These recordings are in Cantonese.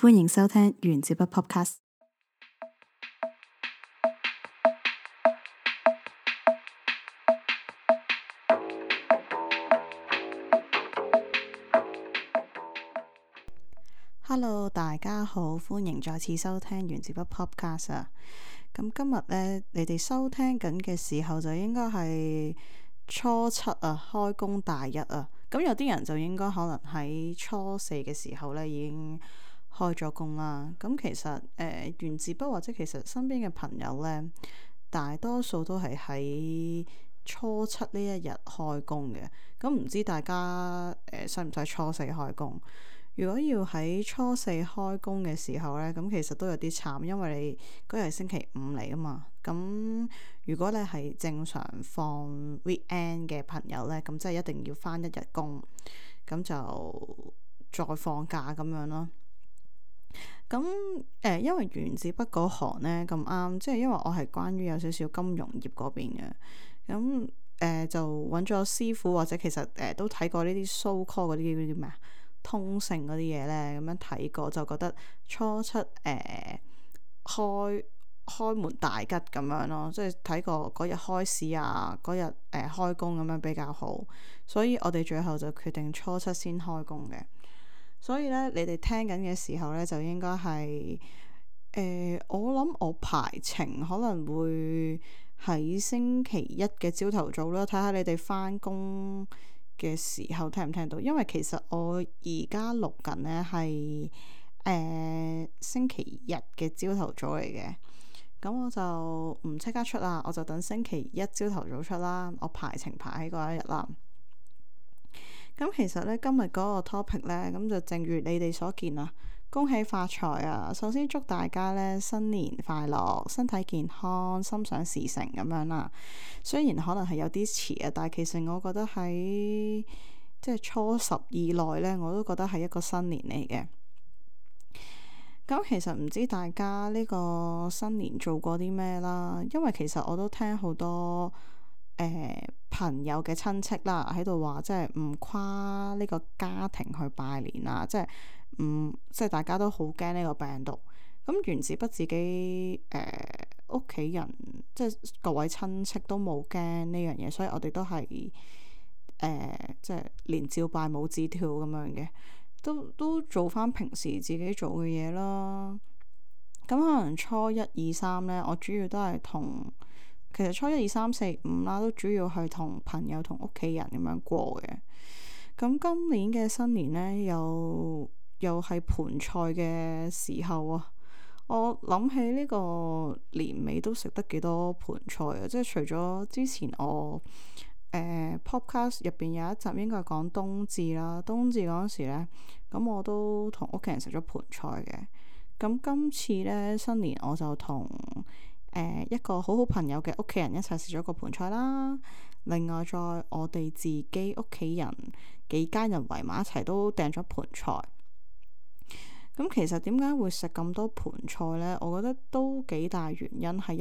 歡迎收聽原子筆 Podcast。Hello， 大家好，歡迎再次收聽原子筆 Podcast 啊。咁今日呢，你哋收聽緊嘅時候就應該係初七啊，開工大日啊。咁有啲人就應該可能喺初四嘅時候呢已經開咗工啦。咁其實原子筆或者其實身邊嘅朋友呢，大多數都係喺初七呢一日開工嘅。咁唔知大家使唔使初四開工？如果要喺初四開工嘅時候呢，咁其實都有啲慘，因為你嗰日係星期五嚟啊嘛。咁如果你係正常放 weekend 嘅朋友呢，咁即係一定要返一日工，咁就再放假咁樣咯。咁因為原子筆嗰行呢咁啱，即係因為我係關於有少少金融業嗰邊嘅，咁就揾咗師傅，或者其實都睇過呢啲 so call 嗰啲咩啊，通勝嗰啲嘢呢，咁樣睇過就覺得初七開門大吉咁樣咯，即係睇過嗰日開市啊，嗰日開工咁樣比較好，所以我哋最後就決定初七先開工嘅。所以咧，你哋聽緊嘅時候咧，就應該係我諗我排程可能會喺星期一嘅朝頭早啦，睇下你哋返工嘅時候聽唔聽到。因為其實我而家錄緊呢係星期日嘅朝頭早嚟嘅，咁我就唔即刻出啦，我就等星期一朝頭早出啦。我排程排喺嗰一日啦。咁其實咧，今日嗰個 topic 咧，咁就正如你哋所見啊，恭喜發財啊！首先祝大家咧新年快樂，身體健康，心想事成咁樣啦。雖然可能係有啲遲啊，但係其實我覺得喺即係初十以內咧，我都覺得係一個新年嚟嘅。咁其實唔知大家呢個新年做過啲咩啦？因為其實我都聽好多朋友嘅親戚啦，喺度話即係唔跨呢個家庭去拜年啊，即係大家都好驚呢個病毒。咁原子筆自己屋企人即係各位親戚都冇驚呢樣嘢，所以我哋都係即係連照拜冇照跳咁樣嘅，都做翻平時自己做嘅嘢啦。咁可能初一二三呢，我主要都係其實初一二三四五啦，都主要係同朋友同屋企人咁樣過嘅。咁今年嘅新年呢，又係盤菜嘅時候啊！我諗起呢個年尾都食得幾多盤菜啊！即係除咗之前我podcast 入邊有一集應該係講冬至啦，冬至嗰陣時呢，咁我都同屋企人食咗盤菜嘅。咁今次呢，新年我就同一個好好朋友嘅屋企人一齊食咗個盤菜啦。另外再我哋自己屋企人幾家人圍埋一齊都訂咗盤菜。咁其實點解會食咁多盤菜呢？我覺得都幾大原因係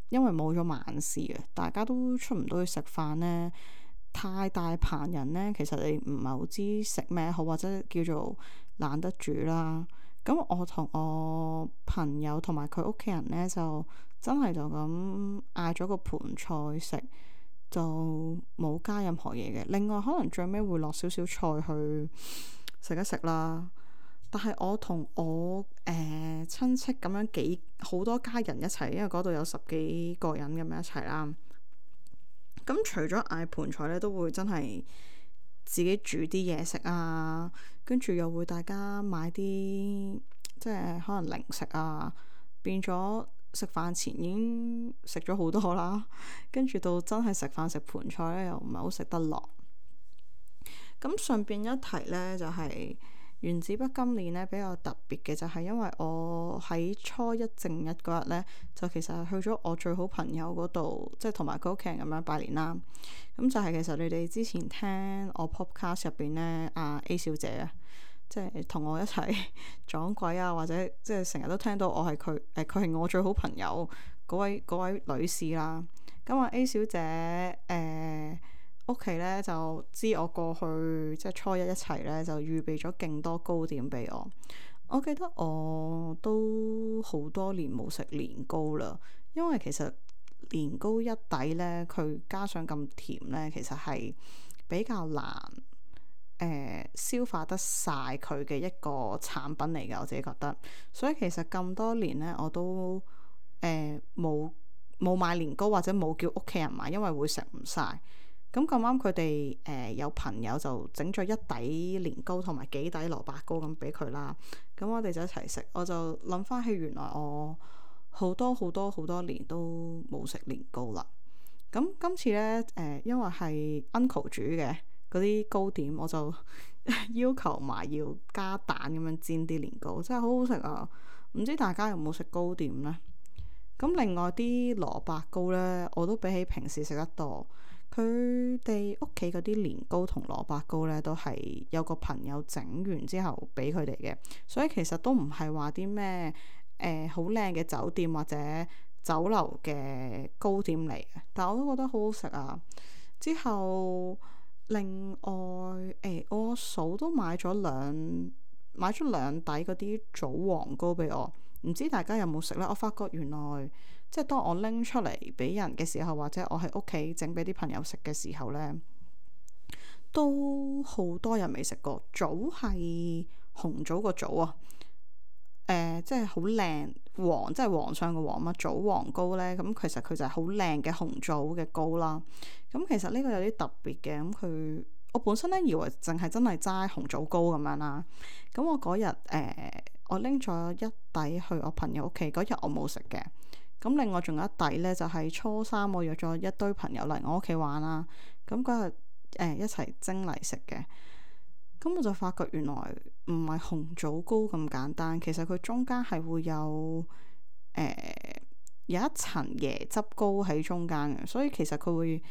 因為冇咗晚市啊，大家都出唔到去食飯呢。太大棚人呢，其實你唔係好知食咩好，或者叫做懶得煮啦。咁我同我朋友同埋佢屋企人呢，就真係就咁嗌咗個盤菜食，就冇加任何嘢嘅。另外可能最尾會落少少菜去食一食啦。但係我同我親戚咁樣好多家人一齊，因為嗰度有10幾個人咁樣一齊啦。咁除咗嗌盤菜呢，都會真係自己煮啲嘢食啊，跟住又會大家買啲即係可能零食啊，變咗食飯前已經食咗好多啦，跟住到真係食飯食盤菜呢，又唔係好食得落。咁順便一提呢，就係原子筆今年呢比較特別嘅就係因為我喺初一正日嗰日呢，就其實係去咗我最好朋友嗰度，即係同埋佢屋企人咁樣拜年啦。咁就係其實你哋之前聽我 podcast 入邊呢，阿 A 小姐啊，即係同我一齊撞鬼啊，或者即係成日都聽到我係佢係我最好朋友嗰位女士啦。咁啊 A 小姐屋企咧就知我過去即係初一一齊咧，就預備咗勁多糕點俾我。我記得我都好多年冇食年糕啦，因為其實年糕一底咧，佢加上咁甜咧，其實係比較難消化得晒佢嘅一個產品嚟嘅，我自己覺得。所以其實咁多年咧，我都冇買年糕或者冇叫屋企人買，因為會食唔晒。咁咁啱佢哋有朋友就整咗一底年糕同埋幾底蘿蔔糕咁俾佢啦。咁我哋就一齊食，我就諗翻起原來我好多好多好多年都冇食年糕啦。咁今次呢，因為係 uncle 煮嘅嗰啲糕點，我就要求埋要加蛋咁樣煎啲年糕，真係好好食啊！唔知大家有冇食糕點呢？咁另外啲蘿蔔糕呢，我都比起平時食得多。佢哋屋企嗰啲年糕同蘿蔔糕呢，都係有個朋友整完之後俾佢哋嘅，所以其實都唔係話啲咩好靚嘅酒店或者酒樓嘅糕點嚟嘅，但我都覺得好好食啊！之後另外我嫂都買咗兩底嗰啲棗黃糕俾我，唔知大家有冇食呢？我發覺原來即係當我拎出嚟俾人嘅時候，或者我喺屋企整俾啲朋友食嘅時候呢，都好多人未食過。棗係紅棗個棗啊，即係好靚黃，即係皇上嘅皇嘛。棗黃糕呢，咁其實佢就係好靚嘅紅棗嘅糕啦。咁其實呢個有啲特別嘅，咁我本身咧以為淨係真係齋紅棗糕咁樣啦。咁我嗰日我拎咗一底去我朋友屋企，嗰日我冇食嘅。咁另外仲有一底呢，就係初三我約咗一堆朋友嚟我屋企玩啦。咁嗰日一齊蒸嚟食嘅。咁我就發覺原來唔係紅棗糕咁簡單，其實佢中間係會有一層椰汁糕喺中間嘅，所以其實佢會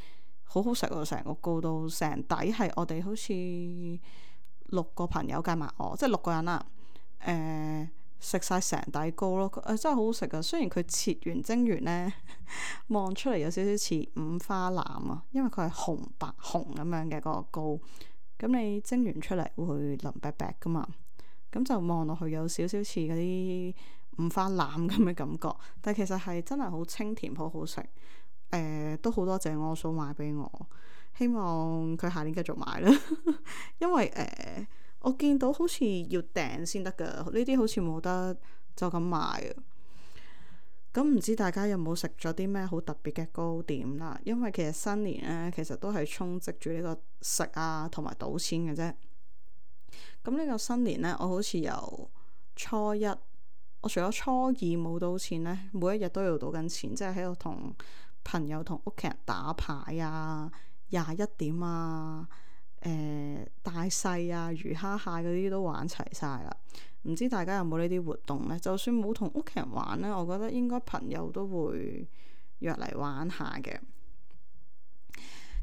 好好食喎。成個糕到成底係我哋好似6個朋友計埋我，即係6個人啦。食晒成底糕咯，真係好好食啊！雖然佢切完蒸完呢，望出嚟有少少似五花腩啊，因為佢係紅白紅咁樣嘅嗰個糕。咁你蒸完出嚟會腍白白噶嘛，咁就望落去有少少似嗰啲五花腩咁嘅感覺，但係其實係真係好清甜，好好食。都好多謝我嫂買俾我，希望佢下年繼續買啦。因為我見到好似要訂先得噶，呢啲好似冇得就咁買啊。咁唔知大家有冇食咗啲咩好特別嘅糕點啦？因為其實新年呢，其實都係充斥住呢個食啊同埋賭錢嘅啫。咁呢個新年呢，我好似由初一，我除咗初二冇賭錢呢，每一日都要賭緊錢，即係喺度同朋友同屋企人打牌啊、21點啊、大細啊、魚蝦蟹嗰啲都玩齊晒啦。唔知大家有冇呢啲活動呢？就算冇同屋企人玩呢，我覺得應該朋友都會約嚟玩下嘅。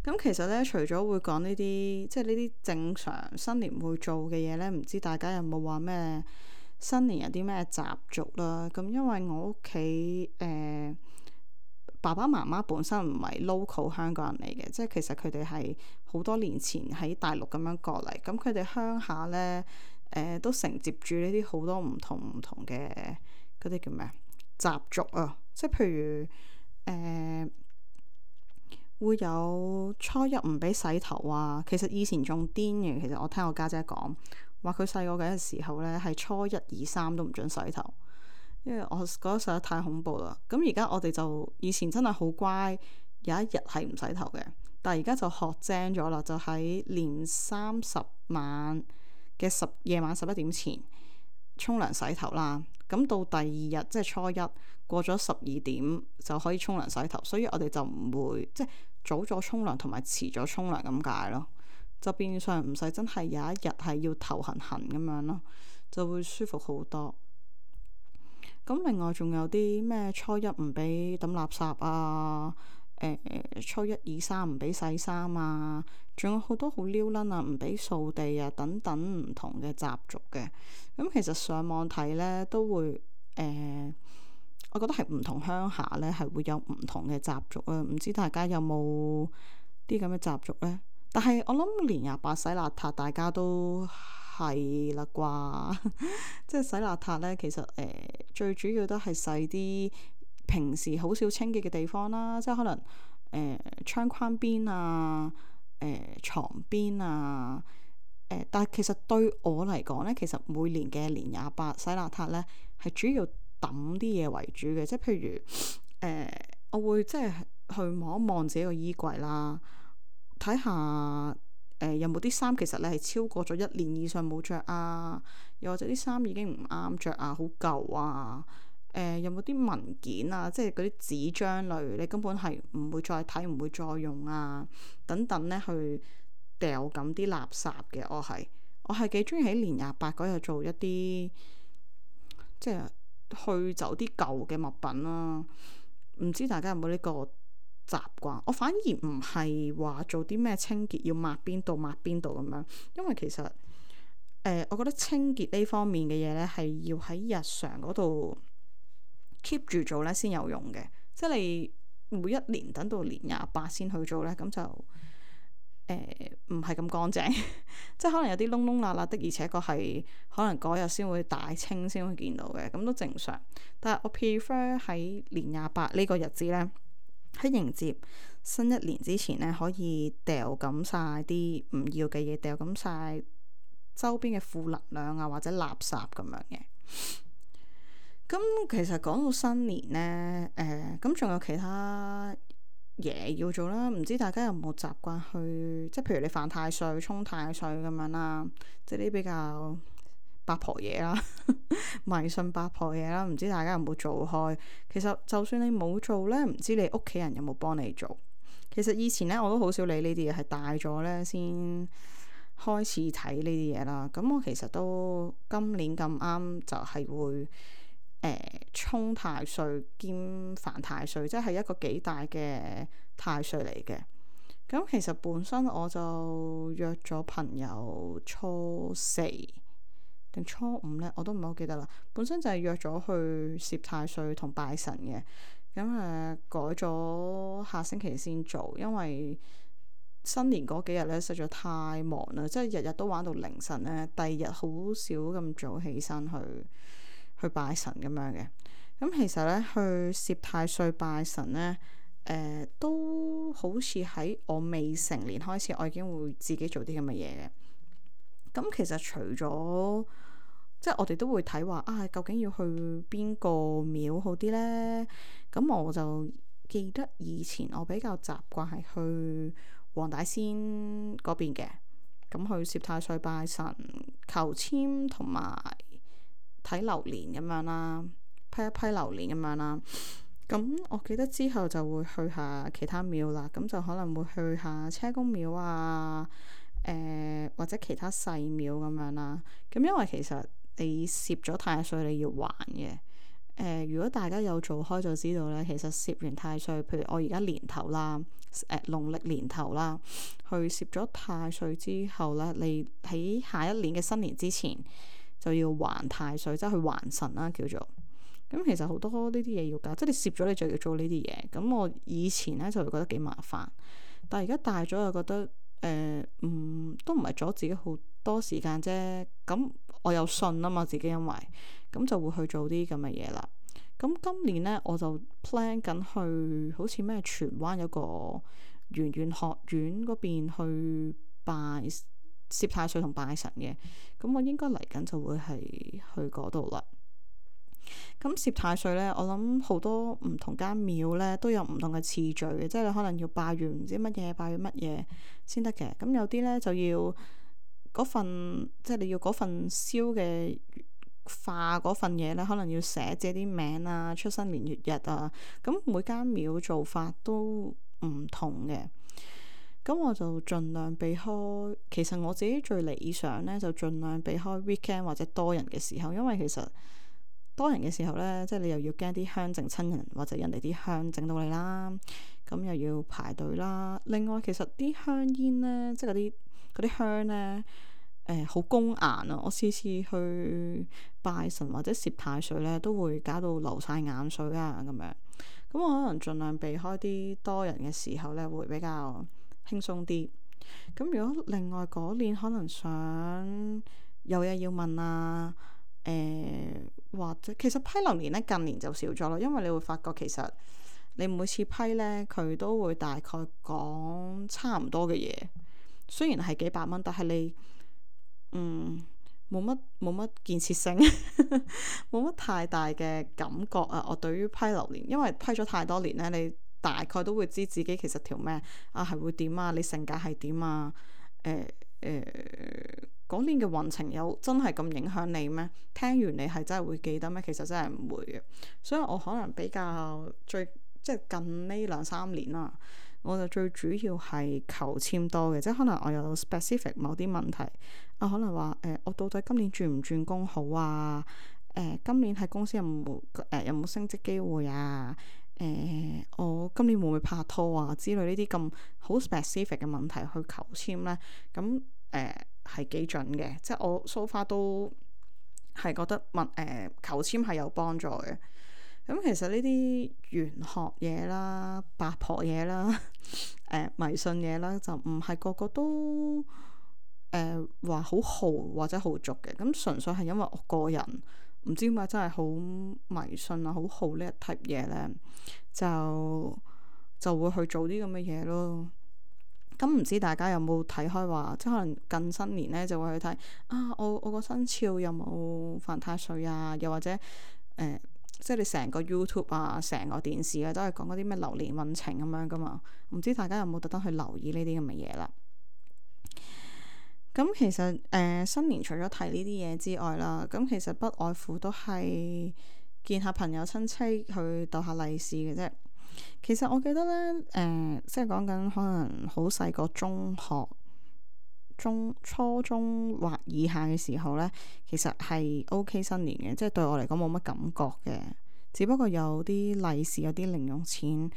咁其實呢，除咗會講呢啲，即係呢啲正常新年會做嘅嘢呢，唔知大家有冇話咩新年有啲咩習俗啦？咁因為我屋企爸爸媽媽本身唔係 local 香港人嚟嘅，即係其實佢哋係好多年前喺大陸咁樣過嚟，咁佢哋鄉下呢，都承接住呢啲好多唔同嘅嗰啲叫咩習俗啊，即係譬如會有初一唔俾洗頭啊。其實以前仲癲嘅，其實我聽我家姐講話，佢細個嘅時候呢，係初一、2、3都唔准洗頭，因為我覺得實在太恐怖啦。咁而家我哋就以前真係好乖，有一日係唔洗頭嘅，但係而家就學精咗啦，就喺年30晚嘅夜晚11點前沖涼洗頭啦。咁到第二日即係初一過咗12點就可以沖涼洗頭，所以我哋就唔會即係早咗沖涼同埋遲咗沖涼咁解咯，就變相唔使真係有一日係要頭痕痕咁樣咯，就會舒服好多。咁另外仲有啲咩初一唔俾抌垃圾啊，初一、2、3唔俾洗衫啊，仲有好多好撩撚啊，唔俾掃地啊等等唔同嘅習俗嘅。咁其實上網睇呢都會我覺得係唔同鄉下呢係會有唔同嘅習俗啊。唔知大家有冇啲咁嘅習俗呢？但係我諗年廿八洗邋遢，大家都係啦啩，即係洗邋遢呢，其實最主要都係洗啲平時好少清潔嘅地方啦，即係可能窗框邊啊、床邊啊。但係其實對我嚟講呢，其實每年嘅年廿八洗邋遢呢，係主要抌啲嘢為主嘅，即係譬如我會即係去望一望自己個衣櫃啦，睇下有冇啲衫其實你係超過咗一年以上冇着啊，又或者啲衫已經唔啱着啊，好舊啊，有冇啲文件啊，即係嗰啲紙張類，你根本係唔會再睇，唔會再用啊，等等呢，去掉咁啲垃圾嘅。我係幾中意喺年廿八嗰日做一啲即係去走啲舊嘅物品啦。唔知大家有冇呢個習慣？我反而唔係話做啲咩清潔要抹邊度抹邊度咁樣，因為其實我覺得清潔呢方面嘅嘢呢，係要喺日常嗰度 keep 住做呢先有用嘅。即係你每一年等到年廿八先去做呢，咁就唔係咁乾淨，即係可能有啲窿窿罅罅的，而且確係可能嗰日先會大清先會見到嘅，咁都正常。但係我 prefer 喺年廿八呢個日子呢，喺迎接新一年之前呢，可以掉咁晒啲唔要嘅嘢，掉咁晒周邊嘅負能量啊或者垃圾咁樣嘅。咁其實講到新年呢，咁仲有其他嘢要做啦，唔知大家有冇習慣去，即係譬如你犯太歲、沖太歲咁樣啦，即係啲比較八婆嘢啦，迷信八婆嘢啦，唔知大家有冇做開？其實就算你冇做呢，唔知你屋企人有冇幫你做？其實以前呢，我都好少理呢啲嘢，係大咗呢先開始睇呢啲嘢啦。咁我其實都今年咁啱就係會沖太歲兼犯太歲，即係一個幾大嘅太歲嚟嘅。咁其實本身我就約咗朋友初四定初五呢，我都唔係好記得啦。本身就係約咗去攝太歲同拜神嘅。咁改咗下星期先做，因為新年嗰幾日呢，實在太忙啦，即係日日都玩到凌晨呢。第二日好少咁早起身去拜神咁樣嘅。咁其實呢，去攝太歲拜神呢，都好似喺我未成年開始，我已經會自己做啲咁嘅嘢嘅。咁其實除咗即係我哋都會睇話啊，究竟要去邊個廟好啲呢？咁我就記得以前我比較習慣係去黃大仙嗰邊嘅，咁去攝太歲拜神、求籤同埋睇流年咁樣啦，批一批流年咁樣啦。咁我記得之後就會去下其他廟啦，咁就可能會去下車公廟啊，或者其他細廟咁樣啦。咁因為其實你攝咗太歲你要還嘅。如果大家有做開就知道咧，其實攝完太歲，譬如我而家年頭啦，農曆年頭啦，去攝咗太歲之後咧，你喺下一年嘅新年之前就要還太歲，即係去還神啦叫做。咁其實好多呢啲嘢要搞，即係你攝咗你就要做呢啲嘢。咁我以前咧就會覺得幾麻煩，但係而家大咗就覺得都唔係阻自己好多時間啫。咁我有信啊嘛，自己因為咁就會去做啲咁嘅嘢啦。咁今年呢，我就 plan 緊去好似咩荃灣有個圓玄學院嗰邊去拜攝太歲同拜神嘅。咁我應該嚟緊就會係去嗰度啦。咁攝太歲呢，我諗好多唔同間廟呢都有唔同嘅次序嘅，即係你可能要拜完唔知乜嘢，拜完乜嘢先得嘅。咁有啲呢就要嗰份，即係你要嗰份燒嘅化嗰份嘢呢，可能要寫自己啲名啊、出生年月日啊。咁每間廟做法都唔同嘅。咁我就盡量避開。其實我自己最理想呢，就盡量避開 weekend 或者多人嘅時候，因為其實多人嘅時候呢，即係你又要驚啲香整親人，或者人哋啲香整到你啦，咁又要排隊啦。另外其實啲香煙呢，即係嗰啲香呢，好攻眼啊！我次次去拜神或者攝太歲呢，都會搞到流晒眼水啊咁樣。咁我可能盡量避開啲多人嘅時候呢，會比較輕鬆啲。咁如果另外嗰年可能想有嘢要問啊，或者其實批流年咧近年就少咗咯，因為你會發覺其實你每次批咧佢都會大概講差唔多嘅嘢，雖然係幾百蚊，但係你冇乜建設性，冇乜太大嘅感覺啊！我對於批流年，因為批咗太多年咧，你大概都會知自己其實條咩啊係會點啊，你性格係點啊？嗰年嘅運程有真係咁影響你咩？聽完你係真係會記得咩？其實真係唔會嘅，所以我可能比較即係近呢2-3年啦，我就最主要係求籤多嘅，即係可能我有 specific 某啲問題啊，可能話我到底今年轉唔轉工好啊？今年喺公司有冇升職機會啊？我今年會唔會拍拖啊？之類呢啲咁好 specific 嘅問題去求籤呢，咁係幾準嘅，即係我 so far 都係覺得求籤係有幫助嘅。咁其實呢啲玄學嘢啦、八婆嘢啦、迷信嘢啦，就唔係個個都話好豪或者好俗嘅。咁純粹係因為我個人唔知點解真係好迷信啊，好豪呢一 type 嘢咧，就會去做啲咁嘅嘢咯。咁唔知大家有冇睇開話，即係可能近新年咧就會去睇啊，我個生肖有冇犯太歲啊？又或者即係你成個 YouTube 啊，成個電視啊，都係講嗰啲咩流年運程咁樣噶嘛？唔知大家有冇特登去留意呢啲咁嘅嘢啦？咁其實新年除咗睇呢啲嘢之外啦，咁其實不外乎都係見下朋友親戚去逗下利是嘅啫。其實我記得咧，即係講緊可能好細個中學、初中或以下嘅時候咧，其實係 OK 新年嘅，即係對我嚟講冇乜感覺嘅。只不過有啲利是、有啲零用錢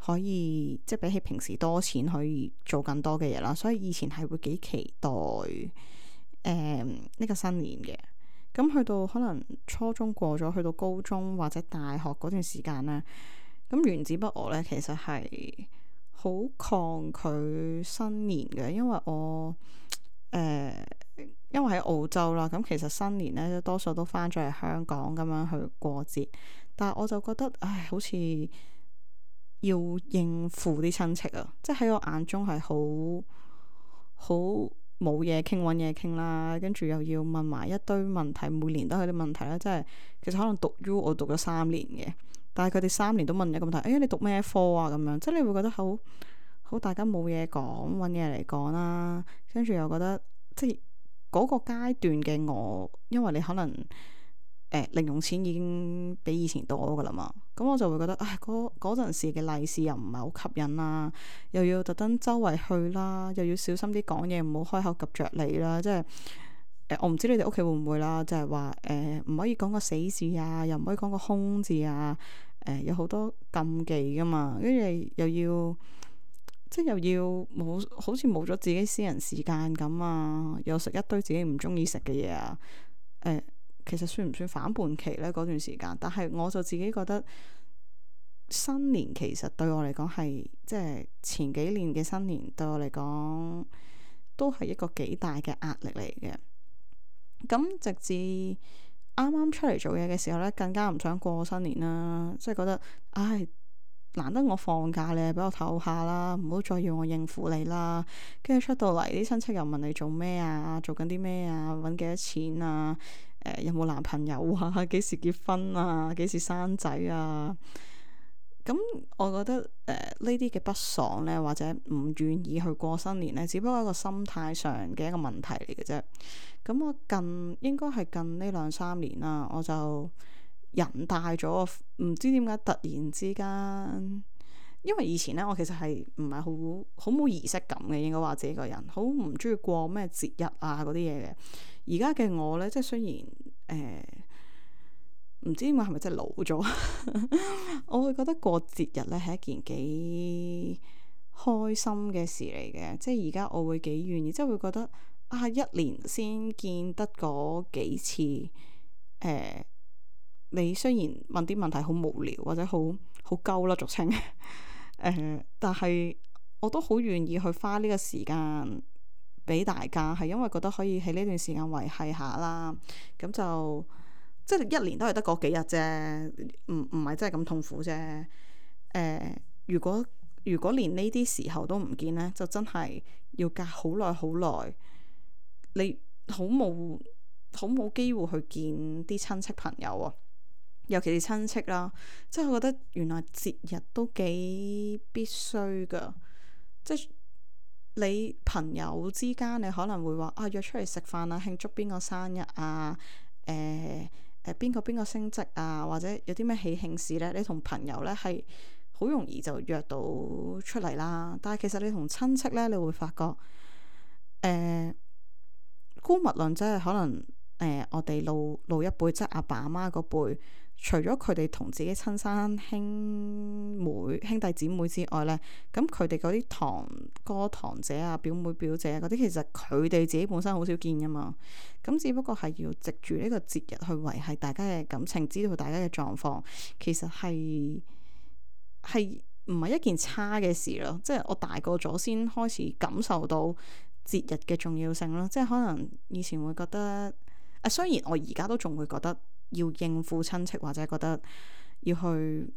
可以，即係比起平時多錢可以做更多嘅嘢啦。所以以前係會幾期待呢個新年嘅。咁去到可能初中過咗，去到高中或者大學嗰段時間咧。咁原子不我咧，其實係好抗拒新年嘅，因為因為喺澳洲啦，咁其實新年咧多數都翻咗嚟香港咁樣去過節，但係我就覺得，好似要應付啲親戚啊，即係喺我眼中係好冇嘢傾，揾嘢傾啦，跟住又要問埋一堆問題，每年都係啲問題啦，即係其實可能讀 U 我讀咗3年嘅。但係佢哋3年都問一個問題，你讀咩科啊？咁樣，即係你會覺得好大家冇嘢講，揾嘢嚟講啦。跟住又覺得即係嗰個階段嘅我，因為你可能零用錢已經比以前多噶啦嘛，咁我就會覺得嗰陣時嘅利是又唔係好吸引啦，又要特登周圍去啦，又要小心啲講嘢，唔好開口及着你啦，即係。我唔知你哋屋企會唔會啦，就係話唔可以講個死字啊，又唔可以講個空字啊，有好多禁忌噶嘛，跟住又要冇，好似冇咗自己私人時間咁啊，又食一堆自己唔中意食嘅嘢啊，其實算唔算反叛期呢？嗰段時間，但係我就自己覺得新年其實對我嚟講係即係前幾年嘅新年對我嚟講都係一個幾大嘅壓力嚟嘅。咁直至啱啱出嚟做嘢嘅時候咧，更加唔想過新年啦，即係覺得難得我放假咧，俾我唞下啦，唔好再要我應付你啦。跟住出到嚟，啲親戚又問你做咩啊，做緊啲咩啊，揾幾多錢啊，有冇男朋友啊，幾時結婚啊，幾時生仔啊。咁我覺得呢啲嘅不爽呢，或者唔願意去過新年呢，只不過係一個心態上嘅一個問題嚟嘅啫。咁我應該係近呢2-3年啦，我就人大咗，唔知點解突然之間，因為以前呢，我其實係唔係好冇儀式感嘅，應該話自己個人好唔中意過咩節日啊嗰啲嘢嘅。而家嘅我呢，即係雖然唔知點解係咪真係老咗？我會覺得過節日咧係一件幾開心嘅事嚟嘅，即係而家我會幾願意，即係會覺得一年先見得嗰幾次，你雖然問啲問題好無聊或者好鳩啦俗稱，但係我都好願意去花呢個時間俾大家，係因為覺得可以喺呢段時間維繫下啦。咁就即係一年都係得嗰幾日啫，唔係真係咁痛苦啫。如果連呢啲時候都唔見呢，就真係要隔好耐好耐，你好冇機會去見啲親戚朋友啊。尤其是親戚啦，即係我覺得原來節日都幾必須噶。即係你朋友之間，你可能會話約出嚟食飯啊，慶祝邊個生日啊，邊個升職啊，或者有啲咩喜慶事呢，你同朋友呢係好容易就約到出嚟啦。但係其實你同親戚呢，你會發覺姑勿論即係可能我哋老一輩，即係阿爸阿媽嗰輩。除咗佢哋同自己親生兄弟姊妹之外呢，咁佢哋嗰啲堂哥堂姐啊、表妹表姐嗰啲，其實佢哋自己本身好少見噶嘛。咁只不過係要藉住呢個節日去維繫大家嘅感情，知道大家嘅狀況，其實係唔係一件差嘅事咯。即係我大個咗先開始感受到節日嘅重要性咯。即係可能以前會覺得雖然我而家都仲會覺得。要應付親戚或者覺得要去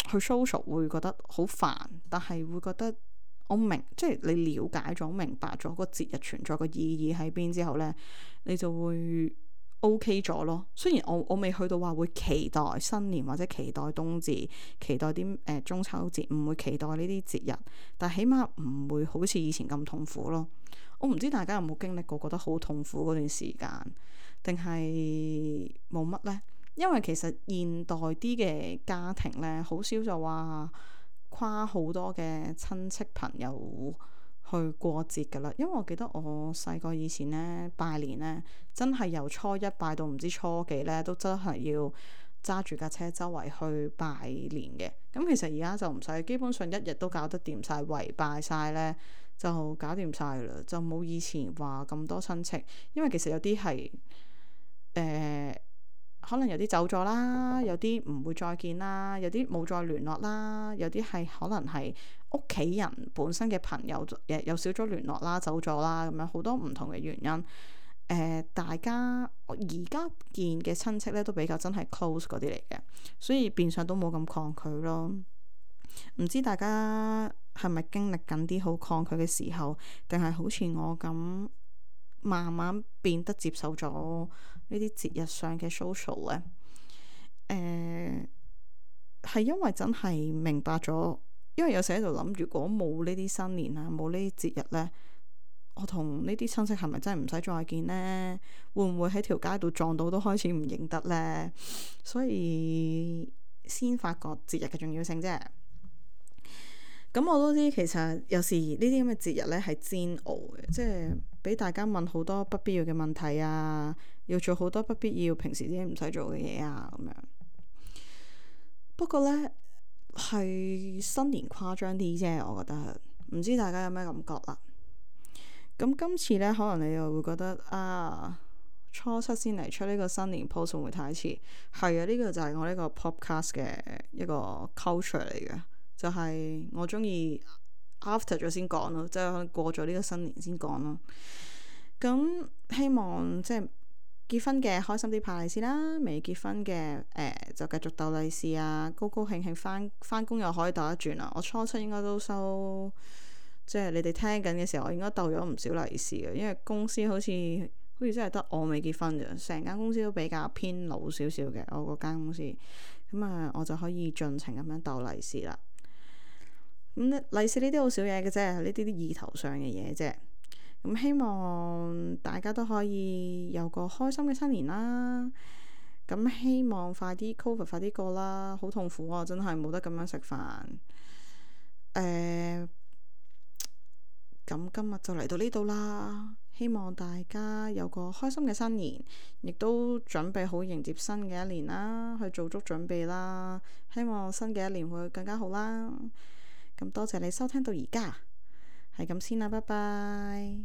social 會覺得好煩，但係會覺得我明，即係你了解咗、明白咗個節日存在個意義喺邊之後呢，你就會 OK 咗咯。雖然我未去到話會期待新年或者期待冬至、期待啲中秋節，唔會期待呢啲節日，但起碼唔會好似以前咁痛苦咯。我唔知大家有冇經歷過覺得好痛苦嗰段時間，定係冇乜呢？因為其實現代啲嘅家庭呢，好少就話跨好多嘅親戚朋友去過節噶啦。因為我記得我細個以前呢，拜年呢，真係由初一拜到唔知初幾呢，都真係要揸住架車周圍去拜年嘅。咁其實而家就唔使，基本上一日都搞得掂晒，圍拜晒呢，就搞掂晒啦，就冇以前話咁多親戚。因為其實有啲係可能有啲走咗啦，有啲唔會再見啦，有啲冇再聯絡啦，有啲係可能係屋企人本身嘅朋友又少咗聯絡啦，走咗啦，咁樣好多唔同嘅原因。大家而家見嘅親戚咧都比較真係 close 嗰啲嚟嘅，所以變相都冇咁抗拒咯。唔知大家係咪經歷緊啲好抗拒嘅時候，定係好似我咁慢慢變得接受咗呢啲節日上嘅 social 呢？係因為真係明白咗，因為有時喺度諗，如果冇呢啲新年啊，冇呢啲節日呢，我同呢啲親戚係咪真係唔使再見呢？會唔會喺條街度撞到都開始唔認得呢？所以先發覺節日嘅重要性啫。咁我都知，其實有時呢啲咁嘅節日呢係煎熬嘅，即係俾大家問好多不必要嘅問題啊，要做好多不必要平時自己唔使做嘅嘢啊，咁樣。不過呢，係新年誇張啲啫，我覺得。唔知大家有咩感覺啦？咁今次呢，可能你又會覺得初七先嚟出呢個新年 post 會唔會太遲？係啊，呢個就係我呢個 podcast 嘅一個 culture 嚟嘅。就係我中意 after 咗先講咯，即係可能過咗呢個新年先講咯。咁希望即係結婚嘅開心啲派利是啦，未結婚嘅就繼續鬥利是啊，高高興興返工又可以鬥一轉啦。我初七應該都收，即係你哋聽緊嘅時候，我應該鬥咗唔少利是嘅，因為公司好似真係得我未結婚啫，成間公司都比較偏老少少嘅，我嗰間公司咁我就可以盡情咁樣鬥利是啦。利是呢啲好少嘢嘅啫，呢啲意頭上嘅嘢啫。咁希望大家都可以有個開心嘅新年啦。咁希望快啲 COVID 快啲過啦，好痛苦啊！真係冇得咁樣食飯。咁今日就嚟到呢度啦。希望大家有個開心嘅新年，亦都準備好迎接新嘅一年啦，去做足準備啦。希望新嘅一年會更加好啦。咁多謝你收聽到而家，係咁先啦，拜拜。